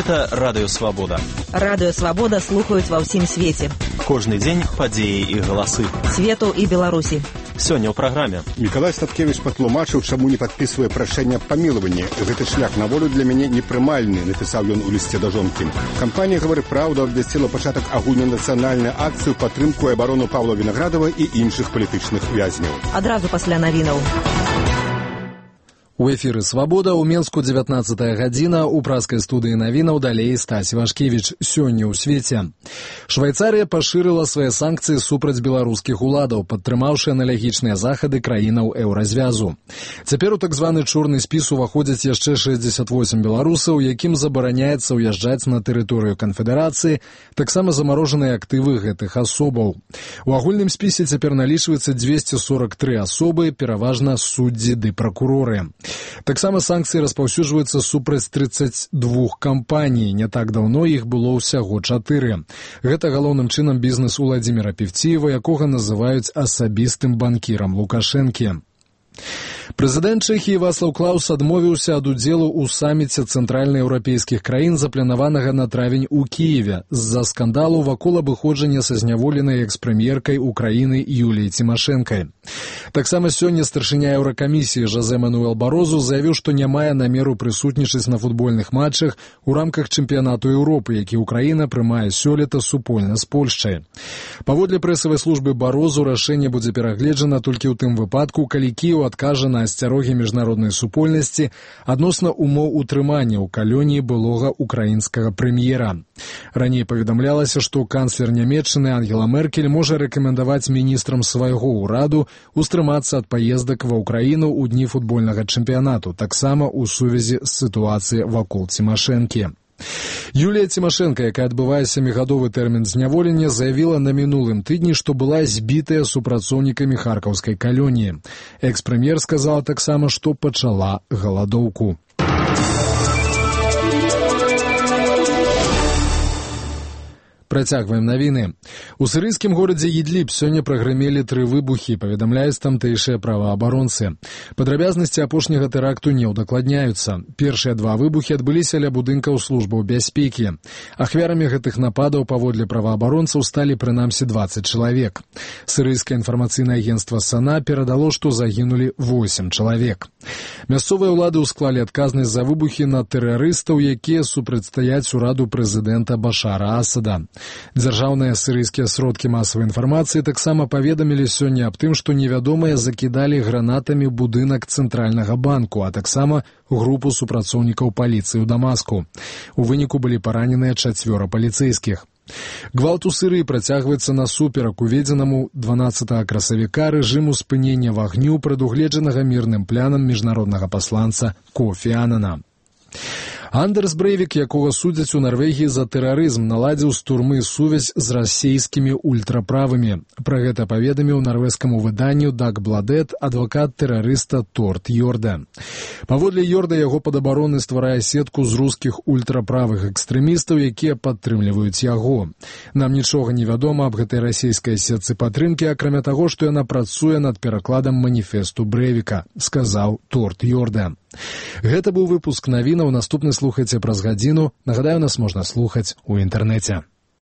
Гэта Радыё Свабода. Радыё Свабода слухаюць ва ўсім свеце. Кожны дзень падзеі і галасы. Свету і Беларусі. Сёння ў праграме. Мікалай Статкевіч патлумачыў, чаму не падпісвае прашэнне аб памілаванні. Гэты шлях на волю для мяне непрымальны, напісаў ён у лісце да жонкі. Кампанія «Гавары праўду» абвясціла пачатак агульнанацыянальнай акцыі ў падтрымку і абарону Павла Вінаградава і іншых палітычных вязняў. Адразу пасля навінаў. У эфіры «Свабода» ў Менску 19-я гадзіна, у праскай студыі навінаў далей Стась Вашкевіч. Сёння ў свеце. Швайцарыя пашырыла свае санкцыі супраць беларускіх уладаў, падтрымаўшы аналагічныя захады краінаў еўразвязу. Цяпер у так званы чорны спіс уваходзяць яшчэ 68 беларусаў, якім забараняецца ўязджаць на тэрыторыю канфедэрацыі, таксама замарожаныя актывы гэтых асобаў. У агульным спісе цяпер налічваецца 243 асобы, пераважна суддзі ды пракуроры. Таксама санкцыі распаўсюджваюцца супраць 32 кампаній. Не так даўно іх было ўсяго 4. Гэта галоўным чынам бізнес Уладзіміра Певціева, якога называюць асабістым банкірам Лукашэнкі. Прэзідэнт Чэхіі Вацлаў Клаус адмовіўся ад удзелу ў саміце цэнтральнаеўрапейскіх краін, запланаванага на травень у Кіеве, з-за скандалу вакол абыходжання са зняволенай экс-прэм'еркай Украіны Юліяй Цімашэнкай. Таксама сёння старшыня Еўракамісіі Жозе Мануэл Барозу заявіў, што не мае намеру прысутнічаць на футбольных матчах у рамках чэмпіянату Еўропы, які Украіна прымае сёлета супольна з Польшчай. Паводле прэсавай службы Барозу рашэнне будзе перагледжана толькі ў тым выпадку, калі Кіеў адкажа на асцярогі міжнароднай супольнасці адносна умоў утрымання ў калоніі былога украінскага прэм'ера. Раней паведамлялася, што канцлер Нямецчыны Ангела Меркель можа рэкамендаваць міністрам свайго ўраду устрымацца ад паездак ва ўкраіну ў дні футбольнага чэмпіянату, таксама ў сувязі з сітуацыяй вакол Цімашэнкі. Юлія Цімашэнка, якая адбывае 7-гадовы тэрмін зняволення, заявіла на мінулым тыдні, што была збітая супрацоўнікамі харкаўскай калоніі. Экс-прэм'ер сказала таксама, што пачала галадоўку. Працягваем навіны. У сірыйскім горадзе Ідліб сёння прагрымелі 3 выбухі, паведамляюць тамтэйшыя праваабаронцы. Падрабязнасці апошняга тэракту не ўдакладняюцца. Першыя 2 выбухі адбыліся ля будынкаў службаў бяспекі. Ахвярамі гэтых нападаў паводле праваабаронцаў сталі прынамсі 20 чалавек. Сірыйскае інфармацыйнае агенцтва САНА перадало, што загінулі 8 чалавек. Мясцовыя ўлады ўсклалі адказнасць за выбухі на тэрарыстаў, якія супрацьстаяць ураду прэзідэнта Башара Асада. Дзяржаўныя сірыйскія сродкі масавай інфармацыі таксама паведамілі сёння аб тым, што невядомыя закідалі гранатамі будынак Цэнтральнага банку, а таксама групу супрацоўнікаў паліцыі ў Дамаску. У выніку былі параненыя 4 паліцэйскіх. Гвалт у Сірыі працягваецца насуперак уведзенаму 12 красавіка рэжыму спынення вагню, прадугледжанага мірным планам міжнароднага пасланца Кофі Анана. Андерс Брейвік, якога судзяць у Нарвегіі за тэрарызм, наладзіў з турмы сувязь з расейскімі ультраправымі. Пра гэта паведаміў нарвежскаму выданню Даг Бладет адвакат тэрарыста Торт Йорда. Паводле Йорда, яго падабароны стварае сетку з рускіх ультраправых экстрэмістаў, якія падтрымліваюць яго. Нам нічога не вядома аб гэтай расейскай сетцы падтрымкі, акрамя таго, што яна працуе над перакладам маніфесту Брейвіка, сказаў Торт Йорда. Гэта быў выпуск навінаў. Наступны слухайце праз гадзіну. Нагадаю, нас можна слухаць у інтэрнэце.